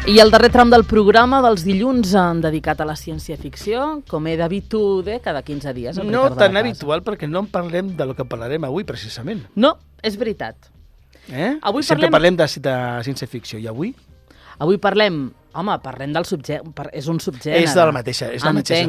I el darrer tram del programa dels dilluns dedicat a la ciència-ficció, com he d'habitual cada 15 dies. No tan habitual, perquè no en parlem de lo que parlarem avui, precisament. No, és veritat. Avui sempre parlem de ciència-ficció, i avui? Avui parlem del subgènere, és un subgènere. És la mateixa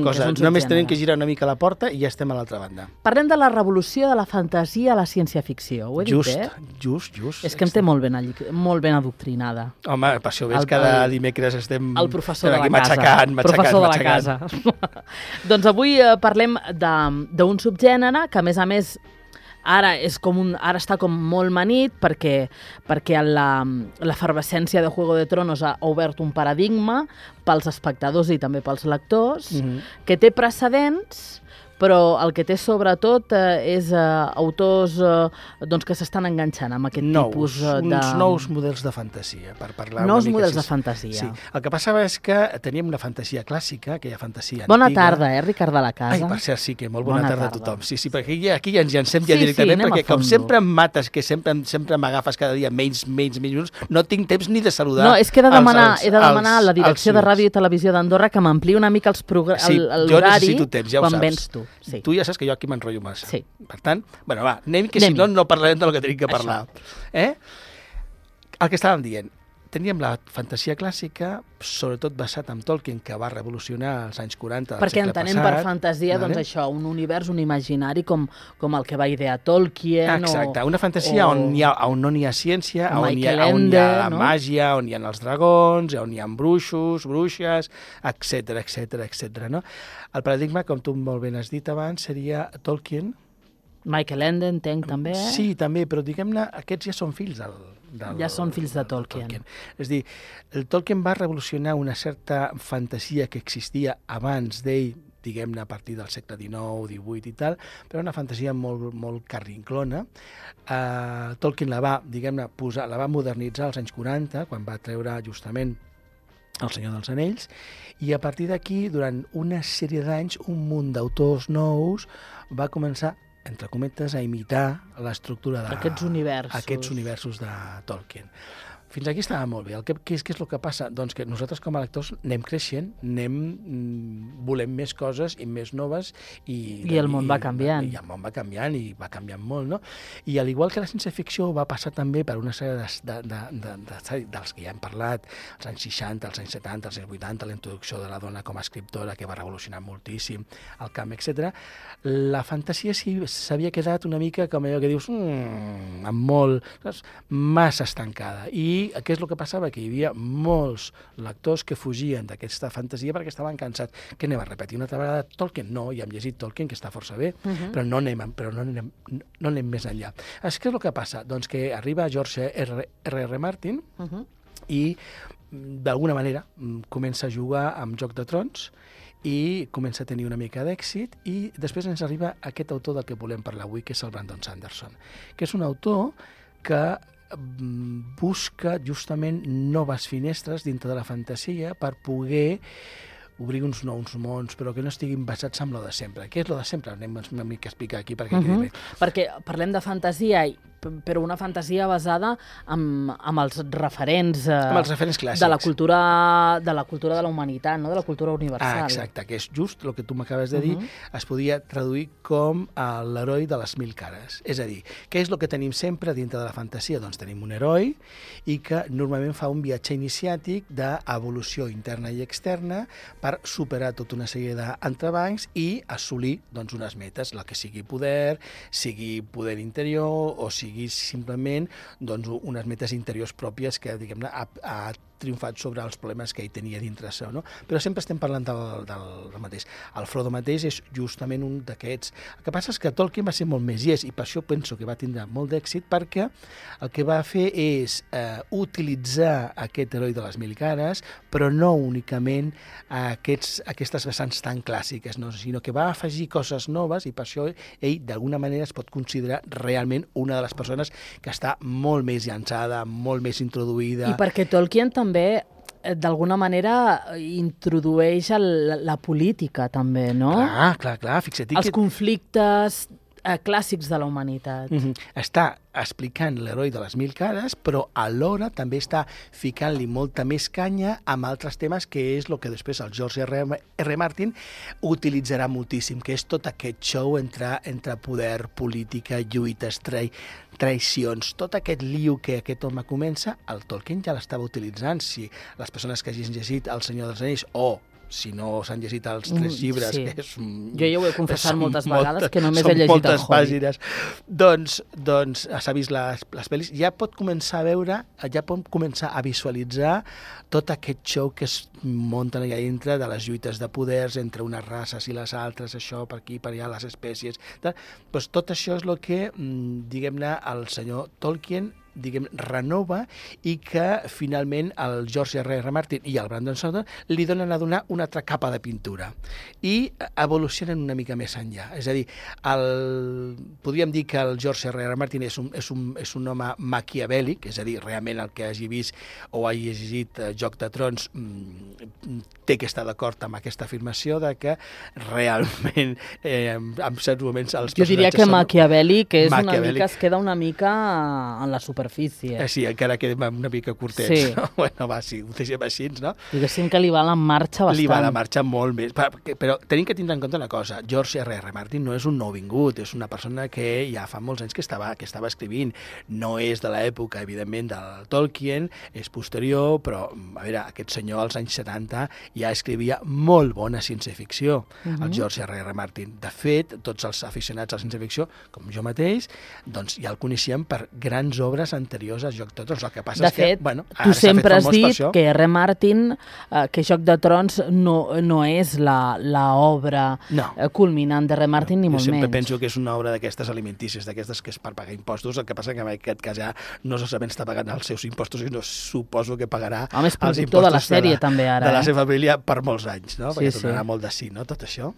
cosa. Només tenim que girar una mica la porta i ja estem a l'altra banda. Parlem de la revolució de la fantasia a la ciència-ficció. Ho he dit bé? Just. És que em té molt ben adoctrinada. Home, per això veus, cada dimecres estem el professor de la matxacant. Professor de la casa. Doncs avui parlem d'un subgènere que, a més, ara està com molt manit perquè l'efervescència de Juego de Tronos ha obert un paradigma pels espectadors i també pels lectors, que té precedents, però el que té sobretot és autors que s'estan enganxant amb aquest tipus de... Uns nous models de fantasia, per parlar nous una mica. Models de fantasia. Sí. El que passava és que teníem una fantasia clàssica, aquella fantasia Bona antiga. tarda, Ricard de la Casa. Ai, per cert, sí, que molt bona tarda a tothom. Sí, perquè aquí ja ens llancem directament, perquè com sempre em mates, que sempre m'agafes cada dia menys minuts, no tinc temps ni de saludar. No, és que he de demanar a la direcció de Ràdio i Televisió d'Andorra que m'ampliï una mica l'horari jo necessito temps, ja ho quan saps. vens tu. Sí. Tu ja saps que jo aquí m'enrotllo massa. Sí. Per tant, anem, si no parlarem del que tenim que parlar. El que estàvem dient, teníem la fantasia clàssica, sobretot basat en Tolkien, que va revolucionar als anys 40 del perquè segle passat. entenem per fantasia, això, un univers, un imaginari com el que va idear Tolkien. Exacte, una fantasia on no n'hi ha ciència, on hi ha màgia, on hi ha els dragons, on hi ha bruixos, bruixes, etc. No? El paradigma, com tu molt ben has dit abans, seria Tolkien. Michael Ende, entenc, també. Sí, també, però diguem-ne, aquests ja són fills ja són fills de Tolkien. És a dir, el Tolkien va revolucionar una certa fantasia que existia abans d'ell, diguem-ne, a partir del segle XIX, XVIII i tal, però una fantasia molt carrinclona. Tolkien la va modernitzar als anys 40, quan va treure justament El Senyor dels Anells, i a partir d'aquí, durant una sèrie d'anys, un munt d'autors nous va començar, entre cometes, a imitar l'estructura d'aquests universos de Tolkien. Fins aquí estava molt bé. Què és el que passa? Doncs que nosaltres com a lectors anem creixent, volem més coses i més noves. I el món va canviant. I el món va canviant, i va canviant molt, no? I al igual que la ciència-ficció va passar també per una sèrie dels que ja hem parlat, als anys 60, als anys 70, als anys 80, la introducció de la dona com a escriptora, que va revolucionar moltíssim el camp, etc. La fantasia s'havia quedat una mica com allò que dius, massa estancada. I què és el que passava? Que hi havia molts lectors que fugien d'aquesta fantasia perquè estaven cansats. Què anem a repetir una altra vegada? Tolkien? No, ja hem llegit Tolkien, que està força bé, però no anem més enllà. Què és el que passa? Doncs que arriba George R.R. Martin i d'alguna manera comença a jugar amb Joc de Trons i comença a tenir una mica d'èxit, i després ens arriba aquest autor del que volem parlar avui, que és el Brandon Sanderson, que és un autor que busca justament noves finestres dintre de la fantasia per poder obrir uns nous mons, però que no estiguin basats en lo de sempre. Què és lo de sempre? Anem una mica a explicar aquí perquè quedi bé. Perquè parlem de fantasia, però una fantasia basada amb els referents clàssics de la cultura de la humanitat, no? De la cultura universal. Exacte, que és just el que tu m'acabes de dir, es podia traduir com l'heroi de les 1000 cares. És a dir, què és el que tenim sempre dintre de la fantasia? Doncs tenim un heroi i que normalment fa un viatge iniciàtic d'evolució interna i externa per superar tota una sèrie d'entrebancs i assolir unes metes, la que sigui poder interior o sigui simplement unes metes interiors pròpies que, diguem-ne, ha triomfat sobre els problemes que ell tenia dintre seu, no? Però sempre estem parlant del mateix. El Frodo mateix és justament un d'aquests. El que passa és que Tolkien va ser molt més llest, i per això penso que va tindre molt d'èxit, perquè el que va fer és utilitzar aquest heroi de les 1000 cares, però no únicament aquestes vessants tan clàssiques, no? Sinó que va afegir coses noves, i per això ell d'alguna manera es pot considerar realment una de les persones que està molt més llançada, molt més introduïda. I perquè Tolkien també d'alguna manera introdueix la política també, no? Clar, fixa't. Els conflictes clàssics de la humanitat. Està explicant l'heroi de les 1000 cares, però alhora també està ficant-li molta més canya amb altres temes, que és el que després el George R. Martin utilitzarà moltíssim, que és tot aquest show entre poder, política, lluites, traïcions, tot aquest liu que aquest home comença, el Tolkien ja l'estava utilitzant. Si les persones que hagin llegit El Senyor dels Anells o si no s'han llegit els 3 llibres, sí. que és... Jo ja ho he confessat moltes vegades, que només he llegit el Hobbit. Pàgines. Doncs s'ha vist les pel·lis, ja pot començar a veure, ja pot començar a visualitzar tot aquest show que es munten allà dintre de les lluites de poders entre unes races i les altres, això per aquí, per allà, les espècies... Doncs tot això és el que, diguem-ne, el senyor Tolkien renova i que finalment el George R. Martin i el Brandon Sanderson li donen a donar una altra capa de pintura i evolucionen una mica més enllà. És a dir, podríem dir que el George R. Martin és un home maquiavèlic, és a dir, realment el que hagi vist o hagi llegit Joc de Trons té que estar d'acord amb aquesta afirmació de que realment en certs moments els personatges... Jo diria que maquiavèlic és una mica, es queda una mica en la superfície. Sí, encara quedem una mica curtets. Sí. No? Bueno, va, sí, ho deixem així, no? Diguéssim que li va la marxa bastant. Li va la marxa molt més. Però tenim que tindre en compte una cosa. George R. Martin no és un nouvingut, és una persona que ja fa molts anys que estava escrivint. No és de l'època, evidentment, del Tolkien, és posterior, però, a veure, aquest senyor als anys 70 ja escrivia molt bona ciència-ficció, el George R. Martin. De fet, tots els aficionats a la ciència-ficció, com jo mateix, doncs ja el coneixíem per grans obres anteriors a Joc de Trons. El que passa és que, bueno, tu sempre has dit que R. Martin, que Joc de Trons no és l'obra culminant de R. Martin, ni molt menys. Jo sempre penso que és una obra d'aquestes alimentícies, d'aquestes que és per pagar impostos. El que passa que en aquest cas ja no solament està pagant els seus impostos, sinó suposo que pagarà els impostos de la sèrie, també, ara, de la seva família per molts anys, no? Perquè tornarà molt de sí, no?, tot això.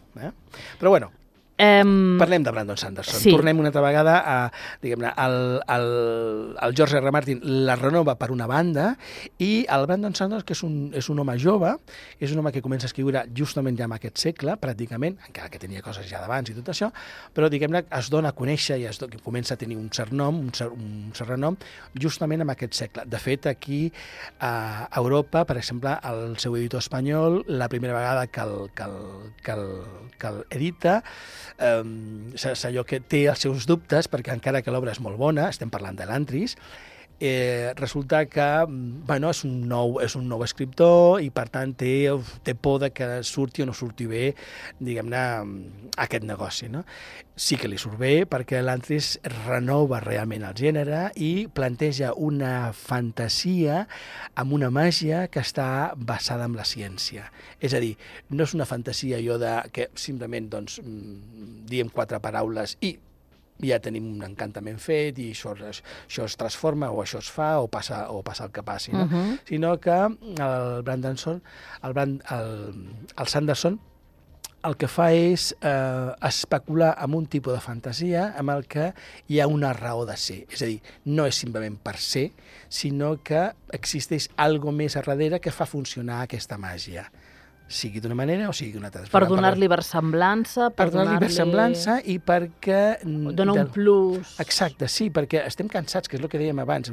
Però bueno, parlem de Brandon Sanderson. Sí. Tornem una altra vegada a, diguem-ne, el George R. Martin la renova per una banda i el Brandon Sanderson, que és un home jove, és un home que comença a escriure justament ja en aquest segle, pràcticament, encara que tenia coses ja d'abans i tot això, però, diguem-ne, es dona a conèixer i comença a tenir un cert renom justament en aquest segle. De fet, aquí a Europa, per exemple, el seu editor espanyol, la primera vegada que l'edita, és allò que té els seus dubtes, perquè encara que l'obra és molt bona, estem parlant de l'Antris, resulta que és un nou escriptor i per tant té por de que surti o no surti bé, diguem-ne, aquest negoci, no? Sí que li surt bé perquè l'Antris renova realment el gènere i planteja una fantasia amb una màgia que està basada en la ciència. És a dir, no és una fantasia allò de que simplement diem 4 paraules i ja tenim un encantament fet i això es transforma o això es fa o passa el que passi, no? Sinó que el Sanderson el que fa és especular amb un tipus de fantasia amb el que hi ha una raó de ser. És a dir, no és simplement per ser, sinó que existeix alguna més a darrere que fa funcionar aquesta màgia, sigui d'una manera o sigui d'una altra. Per donar-li versemblança. Per donar-li versemblança i perquè... Dona un plus. Exacte, sí, perquè estem cansats, que és el que dèiem abans.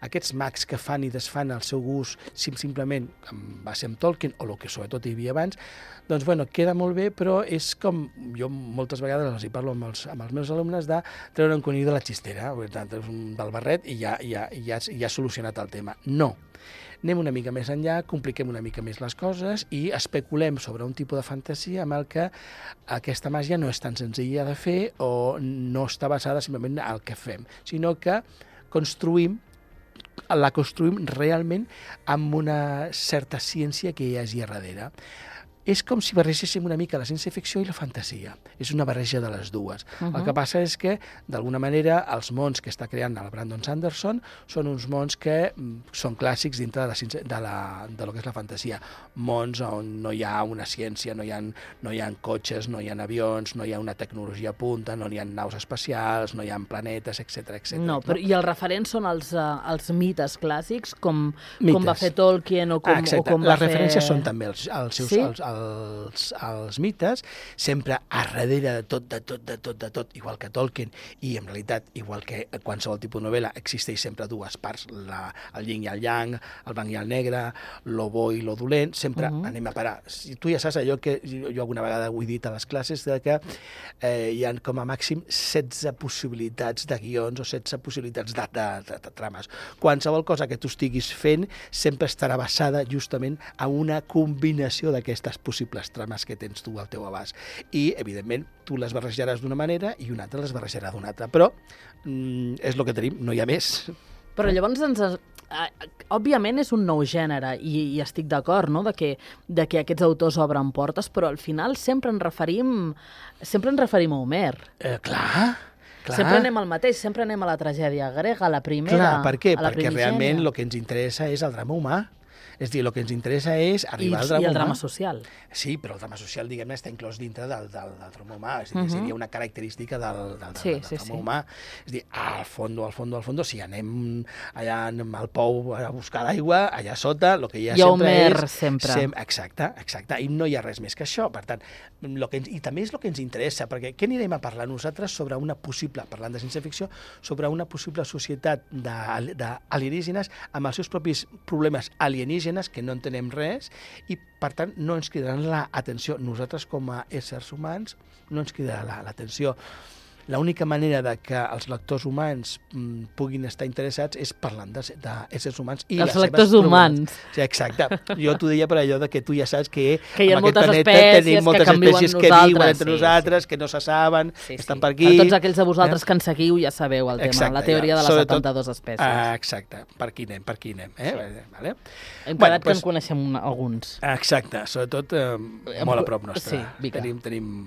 Aquests mags que fan i desfan el seu gust simplement amb base en Tolkien, o el que sobretot hi havia abans, doncs, bueno, queda molt bé, però és com... Jo moltes vegades els hi parlo amb els meus alumnes de treure un conill de la xistera, del barret, i ja ha solucionat el tema. No. Anem una mica més enllà, compliquem una mica més les coses i especulem sobre un tipus de fantasia amb el que aquesta màgia no és tan senzilla de fer o no està basada simplement en el que fem, sinó que la construïm realment amb una certa ciència que hi hagi a darrere. És com si barregéssim una mica la ciència-ficció i la fantasia. És una barreja de les dues. El que passa és que, d'alguna manera, els mons que està creant el Brandon Sanderson són uns mons que són clàssics dintre de lo que és la fantasia. Mons on no hi ha una ciència, no hi ha cotxes, no hi ha avions, no hi ha una tecnologia a punta, no hi ha naus espacials, no hi ha planetes, etc. No, però i els referents són els mites clàssics, com va fer Tolkien o com va fer... Les referències són també els els mites, sempre a darrere de tot, igual que Tolkien, i en realitat, igual que qualsevol tipus de novel·la, existeix sempre dues parts, el yin i el yang, el blanc i el negre, lo bo i lo dolent, sempre anem a parar. Si tu ja saps allò que jo alguna vegada ho he dit a les classes, que hi ha com a màxim 16 possibilitats de guions o 16 possibilitats de trames. Qualsevol cosa que tu estiguis fent sempre estarà basada justament en una combinació d'aquestes possibles trames que tens tu al teu abast. I, evidentment, tu les barrejaràs d'una manera i un altre les barrejarà d'una altra. Però és el que tenim, no hi ha més. Però llavors òbviament és un nou gènere i estic d'acord, no?, de que aquests autors obren portes, però al final sempre ens referim a Homer. Clar. Sempre anem al mateix, sempre anem a la tragèdia grega, a la primera, clar, per què? a la Perquè primigènia. realment el que ens interessa és el drama humà. És a dir, el que ens interessa és arribar al drama humà. I el drama social. Sí, però el drama social, diguem-ne, està inclòs dintre del drama humà. És a dir, seria una característica del drama humà. És a dir, al fondo, si anem allà al pou a buscar l'aigua, allà sota, el que hi ha sempre és... sempre. Exacte, i no hi ha res més que això. Per tant, i també és el que ens interessa, perquè què anirem a parlar nosaltres sobre una possible, parlant de ciència-ficció, sobre una possible societat d'alienígenes amb els seus propis problemes alienígenes, que no entenem res, i per tant no ens cridaran l'atenció. Nosaltres com a éssers humans no ens cridarà l'atenció. L'única manera de que els lectors humans puguin estar interessats és parlant d'éssers humans i els les seves lectors humans. Sí, exacte. Jo t'ho deia per allò de que tu ja saps que hi ha en aquest moltes planeta espècies tenim moltes espècies que viuen entre nosaltres, que no se saben, que estan per aquí. Per tots aquells de vosaltres que ens seguiu ja sabeu el tema, exacte, la teoria de les 72 espècies. Exacte, per aquí anem. Vale? Hem quedat que en coneixem alguns. Exacte, sobretot molt a prop nostre. Sí, Vica. Tenim.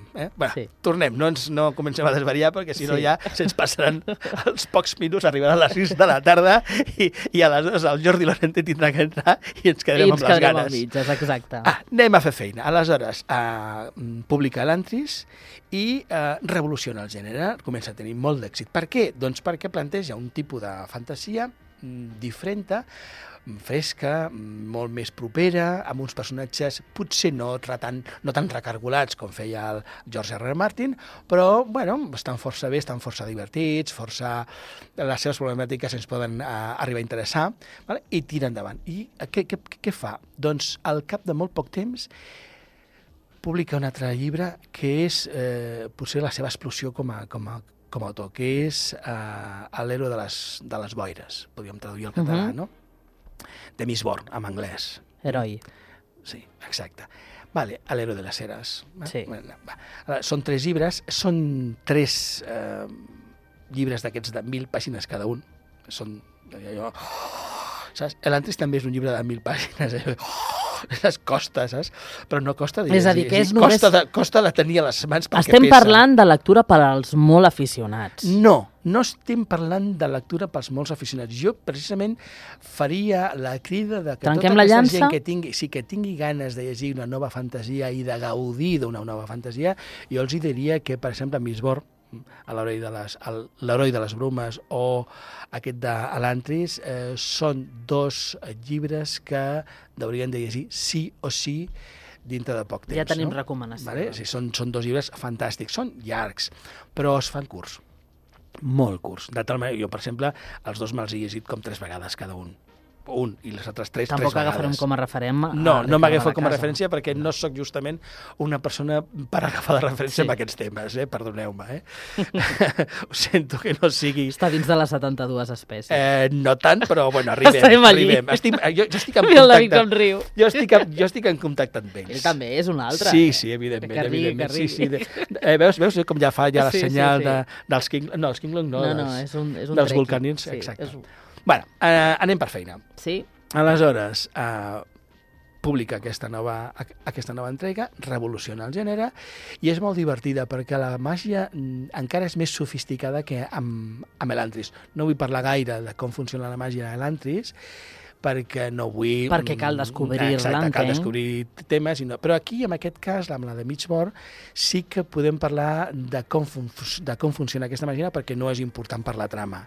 Tornem, no comencem a desvariar, perquè si no ja se'ns passaran els pocs minuts, arribaran a les 6 de la tarda i aleshores el Jordi Lorente tindrà que entrar i ens quedarem amb les ganes. I ens quedarem amb mitges, exacte. Anem a fer feina. Aleshores, publica l'Antris i revoluciona el gènere, comença a tenir molt d'èxit. Per què? Doncs perquè planteja un tipus de fantasia diferent, fresca, molt més propera, amb uns personatges potser no tan recargolats com feia el George R. R. Martin, però estan força bé, estan força divertits, les seves problemàtiques ens poden arribar a interessar, vale? I tira endavant. I què fa? Doncs al cap de molt poc temps publica un altre llibre que és potser la seva explosió com a autor, que és l'Héroe de les boires, podríem traduir al català, no? De Miss Born, en anglès. Heroi. Sí, exacte. Vale, l'Héroe de les eres. Sí. Són 3 llibres, són 3 llibres d'aquests de 1.000 pàgines cada un. Són... Saps? L'Antris també és un llibre de 1.000 pàgines. Costa, saps? Però no costa de llegir. És a dir, que és només... Costa de tenir a les mans perquè Estem pesa. parlant de lectura per als molt aficionats. No estem parlant de lectura pels molts aficionats. Jo, precisament, faria la crida de que Trenquem tota la aquesta llança? gent que tingui ganes de llegir una nova fantasia i de gaudir d'una nova fantasia, jo els diria que, per exemple, Miss Born, l'heroi de les brumes o aquest de l'Antris són 2 llibres que haurien de llegir sí o sí dintre de poc temps. Ja tenim recomanació. Vale? Sí, són 2 llibres fantàstics, són llargs, però es fan curts, molt curts. De tal manera, jo, per exemple, els 2 me'ls he llegit com 3 vegades cada un. I les altres 3 vegades. Tampoc agafarem com a referent. No m'agafo com a referència perquè no sóc justament una persona per agafar de referència amb aquests temes, perdoneu-me. Ho sento que no sigui... Està dins de les 72 espècies. No tant, però arribem. Estem allí. Jo estic en contacte. Com riu. Jo estic en contacte amb ells. Ell també és un altre. Sí, evidentment. Que rigui. Sí. Veus com ja fa la senyal dels King... No, els King Long no. No, és un dels vulcanins, exacte. Anem per feina. Sí. Aleshores, publica aquesta nova entrega, revoluciona el gènere, i és molt divertida perquè la màgia encara és més sofisticada que amb l'Antris. No vull parlar gaire de com funciona la màgia de l'Antris, perquè no vull... Perquè cal descobrir-la, entenc. Cal descobrir temes, però aquí, en aquest cas, amb la de Miss Born, sí que podem parlar de com funciona aquesta màgia, perquè no és important per la trama.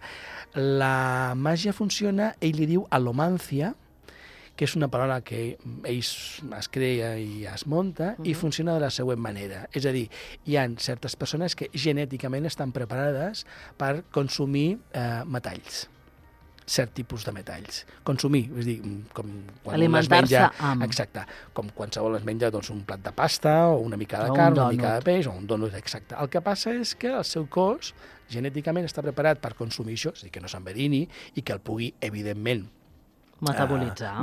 La màgia funciona, ell li diu alomància, que és una paraula que ells es crea i es munta, i funciona de la següent manera. És a dir, hi ha certes persones que genèticament estan preparades per consumir metalls, cert tipus de metalls. Consumir, és a dir, com quan un es menja... Exacte, com qualsevol es menja doncs, un plat de pasta, o una mica de carn, una mica de peix, o un donut, exacte. El que passa és que el seu cos genèticament està preparat per consumir això, és a dir, que no s'envedini i que el pugui, evidentment,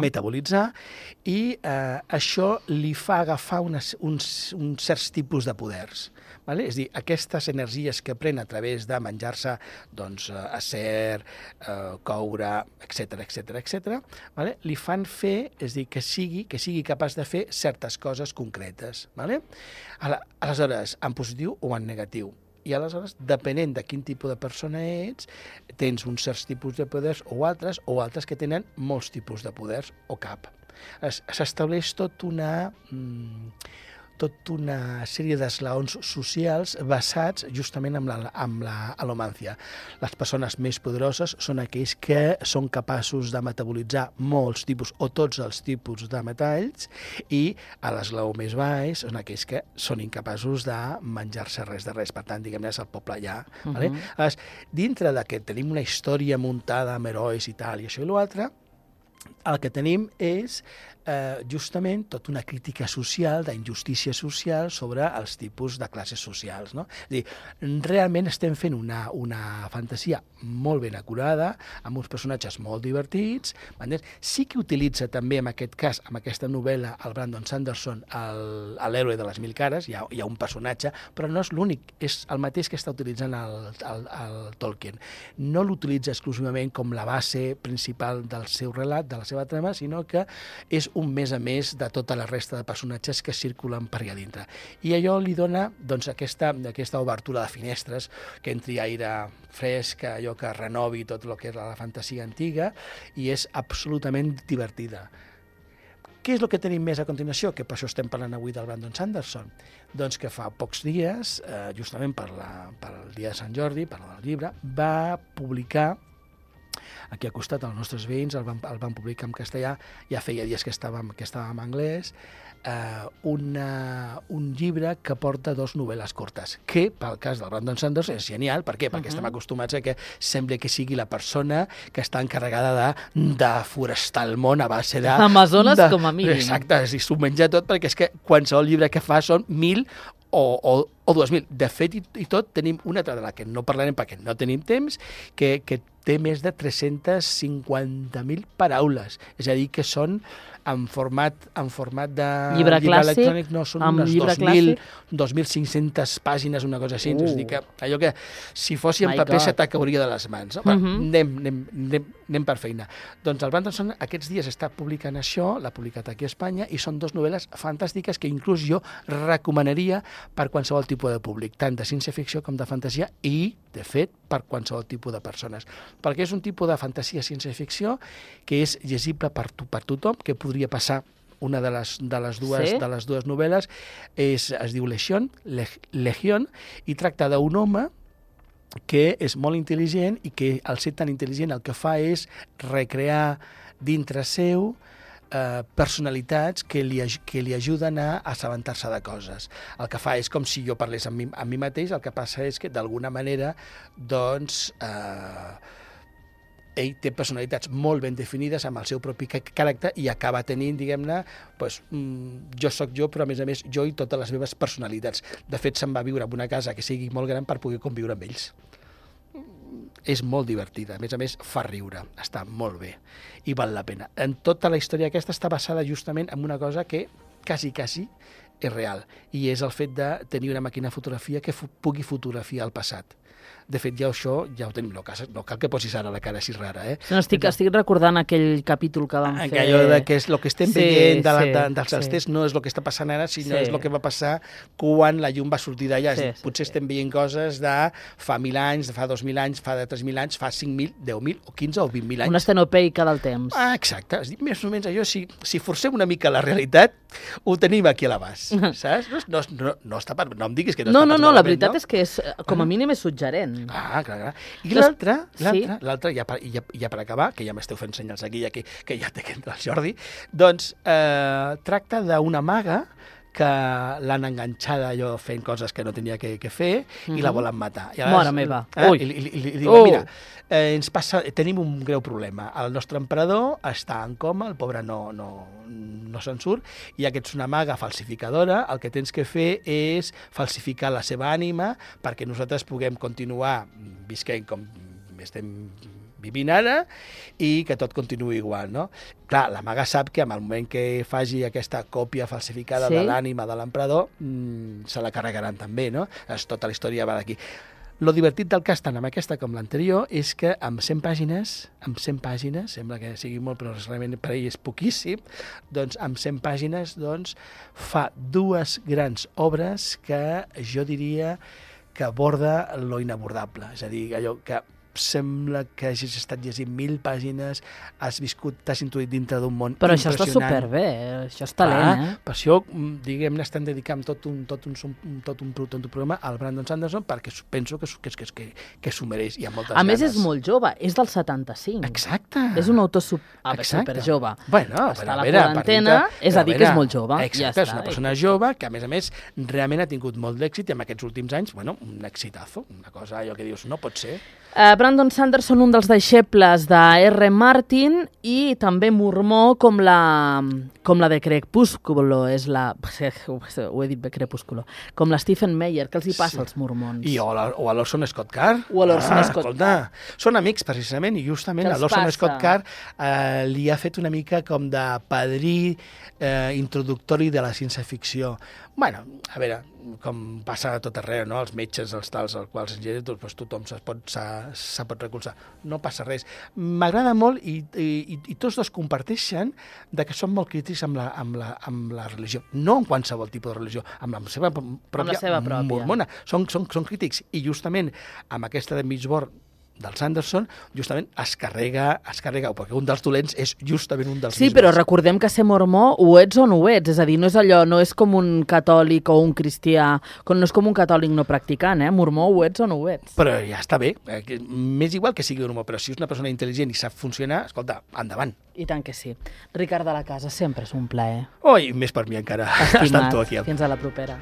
metabolitzar, i això li fa agafar uns certs tipus de poders. Vale? És a dir, aquestes energies que pren a través de menjar-se doncs, acer, coure, etc., vale? Li fan fer, és a dir, que sigui capaç de fer certes coses concretes. Vale? Aleshores, en positiu o en negatiu. I aleshores, depenent de quin tipus de persona ets, tens uns certs tipus de poders o altres que tenen molts tipus de poders o cap. S'estableix tota una sèrie d'esglaons socials basats justament en la alomància. Les persones més poderoses són aquells que són capaços de metabolitzar molts tipus o tots els tipus de metalls, i a l'esglaó més baix són aquells que són incapaços de menjar-se res de res. Per tant, diguem-ne, és el poble allà. Vale? Dintre de que tenim una història muntada amb herois i tal, i això i l'altre, el que tenim és justament tota una crítica social, d'injustícia social sobre els tipus de classes socials. No? És a dir, realment estem fent una fantasia molt ben acurada, amb uns personatges molt divertits. Sí que utilitza també, en aquest cas, amb aquesta novel·la, el Brandon Sanderson, l'héroe de les 1000 cares, hi ha un personatge, però no és l'únic, és el mateix que està utilitzant el Tolkien. No l'utilitza exclusivament com la base principal del seu relat, de la seva trama, sinó que és un més a més de tota la resta de personatges que circulen per allà dintre. I allò li dona doncs, aquesta obertura de finestres, que entri aire fresc, allò que renovi tot el que és la fantasia antiga, i és absolutament divertida. Què és el que tenim més a continuació? Que per això estem parlant avui del Brandon Sanderson. Doncs que fa pocs dies, justament per el dia de Sant Jordi, per el llibre, va publicar, aquí al costat, els nostres veïns el van publicar en castellà, ja feia dies que estàvem en anglès, un llibre que porta 2 novel·les curtes, que, pel cas del Brandon Sanderson, és genial. Per què? Perquè estem acostumats a que sembla que sigui la persona que està encarregada de forestar el món a base de... Amazones com a mínim. Exacte, s'ho menja tot, perquè és que qualsevol llibre que fa són 1.000 o 2.000. De fet, i tot, tenim una altra de la que no parlarem perquè no tenim temps, que té més de 350.000 paraules. És a dir, que són en format de llibre electrònic, no, són unes 2.500 pàgines, una cosa així. És a dir, que allò que si fossi en paper se t'acauria de les mans. No? Anem per feina. Doncs el Branson aquests dies està publicant això, l'ha publicat aquí a Espanya, i són 2 novel·les fantàstiques que inclús jo recomanaria per qualsevol tipus de públic, tant de ciència-ficció com de fantasia, i, de fet, per qualsevol tipus de persones. Perquè és un tipus de fantasia ciència-ficció que és llegible per tothom, que podria passar. Una de les dues novel·les es diu Legion, i tracta d'un home que és molt intel·ligent i que, al ser tan intel·ligent, el que fa és recrear dintre seu personalitats que li ajuden a assabentar-se de coses. El que fa és com si jo parlés amb mi mateix, el que passa és que, d'alguna manera, doncs, ell té personalitats molt ben definides amb el seu propi caràcter i acaba tenint, diguem-ne, doncs, jo sóc jo, però a més jo i totes les meves personalitats. De fet, se'n va viure en una casa que sigui molt gran per poder conviure amb ells. És molt divertida, a més, fa riure, està molt bé i val la pena. En tota la història aquesta està basada justament en una cosa que quasi és real, i és el fet de tenir una màquina de fotografia que pugui fotografiar el passat. De fet, ja ho tenim, no cal que posis ara la cara així rara. No, estic recordant aquell capítol que vam fer... Allò que és el que estem veient dels estels no és el que està passant ara, sinó és el que va passar quan la llum va sortir d'allà. Potser estem veient coses de fa 1.000 anys, de fa 2.000 anys, fa de 3.000 anys, fa 5.000, 10.000 o 15 o 20.000 anys. Una estenopeica del temps. Exacte. Més o menys allò, si forcem una mica la realitat, ho tenim aquí a l'abast. saps? No està per... No em diguis que no No, està no, pas no, la malament, veritat no? és que és, com a mínim és suggerent. Ah, clar. I Sí. l'altre, ja per acabar, que ja m'esteu fent senyals aquí, que ja té que entrar el Jordi, doncs tracta d'una maga que l'han enganxada allò fent coses que no tenia que fer i la volen matar. I Mare meva. Ui. I li diuen, mira, tenim un greu problema. El nostre emperador està en coma, el pobre no se'n surt, i ja que ets una maga falsificadora, el que tens que fer és falsificar la seva ànima perquè nosaltres puguem continuar visquent com estem vivint ara i que tot continuï igual, no? Clar, la maga sap que en el moment que faci aquesta còpia falsificada de l'ànima de l'emperador se la carregaran també, no? Tota la història va d'aquí. Lo divertit del cas, tant amb aquesta com l'anterior, és que amb 100 pàgines, sembla que sigui molt, però realment per ell és poquíssim, doncs amb 100 pàgines fa dues grans obres que jo diria que aborda lo inabordable. És a dir, allò que sembla que hagis estat llegint 1000 pàgines, has viscut, t'has intuït dintre d'un món Però impressionant. això està superbé, això és talent, Per això, diguem-ne, estem dedicant tot un programa al Brandon Sanderson perquè penso que s'ho mereix. Hi ha moltes ganes. A més, és molt jove, és del 75. Exacte. És un autor superjove. Bueno, està a la quarantena, és a dir que és molt jove. Exacte, és una persona jove que, a més, realment ha tingut molt d'èxit i en aquests últims anys, un exitazo, una cosa allò que dius, no pot ser. Brandon Sanderson, un dels deixebles de R. Martin i també mormó com la de Crepúsculo, ho he dit bé, Crepúsculo, com la Stephen Meyer, que els hi passa als mormons. O a l'Orson Scott Card. O a l'Orson Scott Card. Són amics, precisament, i justament a l'Orson Scott Card li ha fet una mica com de padrí introductori de la ciència-ficció. Bueno, a veure, com passa a tot arreu, no? Els metges, els tals, als quals doncs, tothom se pot recolzar. No passa res. M'agrada molt i tots dos comparteixen de que són molt crítics amb la religió. No en qualsevol tipus de religió, amb la seva pròpia mormona. Són crítics. I justament amb aquesta de Mistborn del Sanderson, justament es carrega, perquè un dels dolents és justament un dels Sí, però recordem que ser mormó ho ets o no ho ets, és a dir, no és allò, no és com un catòlic o un cristià, no és com un catòlic no practicant, mormó ho ets o no ho ets. Però ja està bé, m'és igual que sigui mormó, però si és una persona intel·ligent i sap funcionar, escolta, endavant. I tant que sí. Ricard de la Casa, sempre és un plaer. Oh, i més per mi encara, estant tu aquí. Fins a la propera.